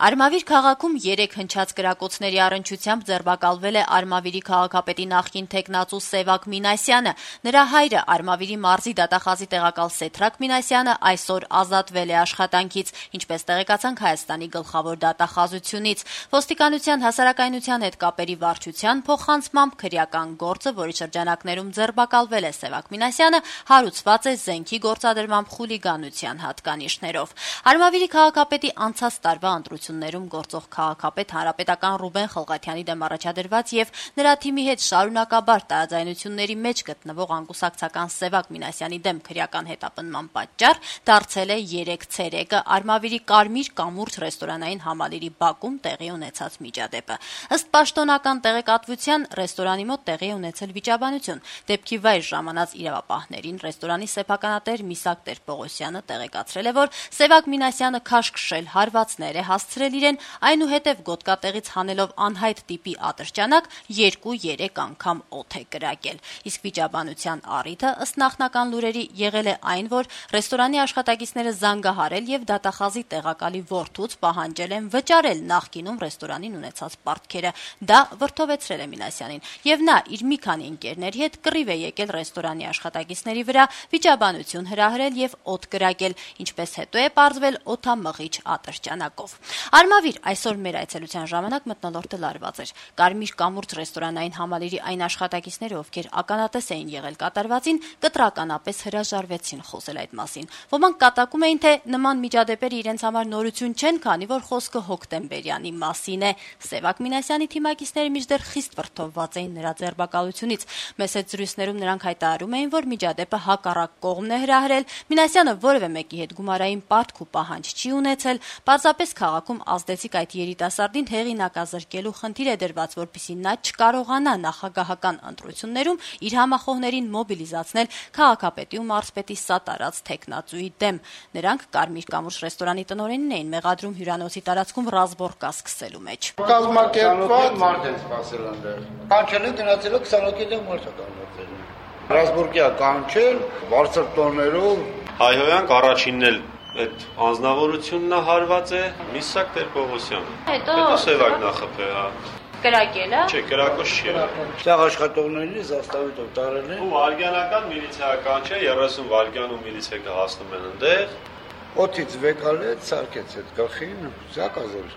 Արմավիր քաղաքում 3 հնչած կրակոցների առնչությամբ ձերբակալվել է Արմավիրի քաղաքապետի նախկին թեկնածու Սևակ Մինասյանը։ Նրա հայրը Արմավիրի մարզի դատախազի տեղակալ Սեթրակ Մինասյանը այսօր ազատվել է աշխատանքից, ինչպես տեղեկացանք Հայաստանի գլխավոր դատախազությունից։ Ոստիկանության հասարակայնության հետ կապերի վարչության փոխանցմամբ քրեական գործը, որի շրջանակներում ձերբակալվել է Սևակ Մինասյանը, հարուցված է զենքի գործադրմամբ խուլիգանության հատկանիշներով։ Արմավիրի քաղաքապետի անցած տարվա ընտրություններում գործող քաղաքապետ հանրապետական Ռուբեն Խալղաթյանի դեմ առաջադրված եւ նրա թիմի հետ շարունակաբար տարաձայնությունների մեջ գտնվող անկուսակցական Սևակ Մինասյանի դեմ քրեական հետապնդման պատճառ դարձել է 3 ցերեկը Արմավիրի Կարմիր կամուրջ ռեստորանային համալիրի բակում տեղի ունեցած միջադեպը։ Ըստ պաշտոնական տեղեկատվության ռեստորանի մոտ տեղի ունեցել վիճաբանություն։ Դեպքի վայր ժամանած իրավապահներին ռեստորանի սեփականատեր Միսակ Տեր-Պողոսյանը տեղեկացրել է, որ Սևակ Մինասյանը քաշքշել հարվածներ է հասցրել իրեն, այնուհետև գոտկատեղից հանելով անհայտ տիպի ատրճանակ 2-3 անգամ օդ է կրակել։ Իսկ վիճաբանության առիթը ըստ նախնական լուրերի եղել է այն, որ ռեստորանի աշխատակիցները զանգահարել եւ դատախազի տեղակալի որդուց պահանջել են վճարել նախկինում ռեստորանին ունեցած պարտքերը։ Դա վրդովեցրել է Մինասյանին, եւ նա իր մի քանի ընկերների հետ կռիվ է եկել ռեստորանի աշխատակիցների վրա, վիճաբանություն հրահրել եւ օդ կրակել, ինչպես հետո է պարզվել օդամղիչ ատրճանակով։ Արմավիր այսօր մեր այցելության ժամանակ մթնոլորտը լարված էր։ Կարմիր կամուրջ ռեստորանային համալիրի այն աշխատակիցները, ովքեր ականատես էին եղել կատարվածին, կտրականապես հրաժարվեցին խոսել այդ մասին։ Ոմանք կատակում էին, թե նման միջադեպերը իրենց համար նորություն չեն, քանի որ խոսքը հոկտեմբերյանի մասին է։ Սևակ Մինասյանի թիմակիցները մինչդեռ խիստ վրդովված էին նրա ձերբակալությունից։ Մեծ հետ զրույցներում նրանք հայտարարում էին, որ միջադեպը հակառակ կողմն է հրահրել, Մինասյանը որևէ մեկի հետ գումարային պարտք ու պահանջ չի ունեցել, պարզապես քաղաքում ազդեցիկ այդ երիտասարդին հեղինակազրկելու խնդիր է դրված, որպեսզի նա չկարողանա նախագահական ընտրություններում իր համախոհներին մոբիլիզացնել քաղաքապետի ու մարզպետի սատարած թեկնածուի դեմ։ Նրանք Կարմիր կամուրջ ռեստորանի տնօրենին էին մեղադրում հյուրանոցի տարածքում ռազմորկա սկսելու մեջ։ Կազմակերպված մարդ են սպասել այնտեղ։ Կանչել են գնացել 20 հոգի դեմ մարդ է կանչել։ Ռազմորկիա կանչել բարձր տոներով Հայհոյանք առաջինն էլ այդ անձնավորությունն հարված է Միսակ Տեր-Պողոսյանը։ Հետո Սևակ նախապետ, հա։ Կրակելը։ Չէ, կրակոց չի եղել։ Ցեղ աշխատողներին զաստավիտով տարել են։ Ու վարգյանական միլիցիական չէ, 30 վարգյանում միլիցիա հասնում են այնտեղ։ Օդից վեկալեց, սարքեց այդ գլխին, զակազել։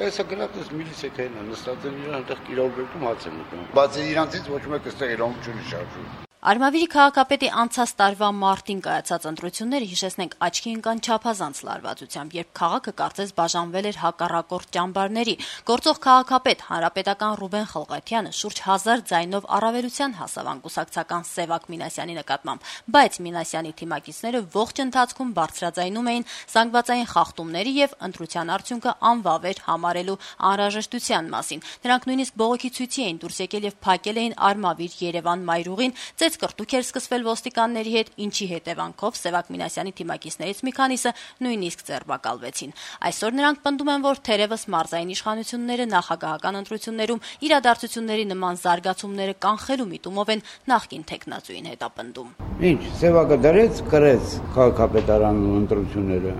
Այսա գնացած միլիցիային նստած են իրան այնտեղ կիրավորում հաց են ուտում։ Բացի իրանցից ոչ մեկը այստեղ իրավունք չունի շարժում։ Արմավիրի քաղաքապետի անցած տարվա մարտին կայացած ընտրությունները, հիշեցնենք, աչքի ընկան չափազանց լարվածությամբ, երբ քաղաքը կարծես բաժանվել էր հակառակորդ ճամբարների։ Գործող քաղաքապետ հանրապետական Ռուբեն Խալղաթյանը շուրջ 1000 ձայնով առավելության հասավ անկուսակցական Սևակ Մինասյանի նկատմամբ, բայց Մինասյանի թիմակիցները ողջ ընթացքում բարձրաձայնում էին զանգվածային խախտումների եւ ընտրության արդյունքը անվավեր համարելու անհրաժեշտության մասին։ Նրանք նույնիսկ բողոքի ցույցի էին դուրս եկել եւ փակել էին Արմավիր Երևան մայրուղին, կրտուք էր սկսվել ոստիկանների հետ, ինչի հետևանքով Սևակ Մինասյանի թիմակիցներից մի քանիսը նույնիսկ ձերբակալվեցին։ Այսօր նրանք պնդում են, որ թերևս մարզային իշխանությունները նախագահական ընտրություններում իրադարձությունների նման զարգացումները կանխելու միտումով են նախկին թեկնածուին հետապնդում։ Ինչ, Սևակը դրեց, կրեց քաղաքապետարանի ընտրությունները։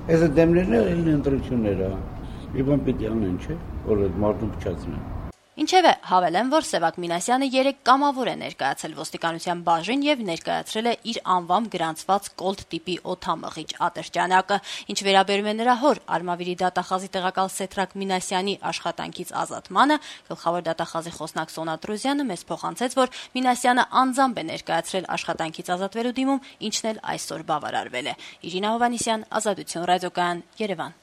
Այս դեմներն են ընտրությունները։ Իբան պիտի անեն, չէ՞, որ այդ մարդուն փչացնեն։ Ինչևէ, հավելեմ, որ Սևակ Մինասյանը 3 կամավոր է ներկայացել ոստիկանության բաժին եւ ներկայացրել է իր անվամբ գրանցված կոլտ տիպի օդամղիչ ատրճանակը։ Ինչ վերաբերում է նրա հոր Արմավիրի դատախազի տեղակալ Սեթրակ Մինասյանի աշխատանքից ազատմանը, գլխավոր դատախազի խոսնակ Սոնա Տրուզյանը մեզ փոխանցեց, որ Մինասյանը անձամբ է ներկայացրել աշխատանքից ազատվելու դիմում, ինչն էլ այսօր բավարարվել է։ Իրինա Հովհաննիսյան, Ազատություն ռադիոկայան, Երևան։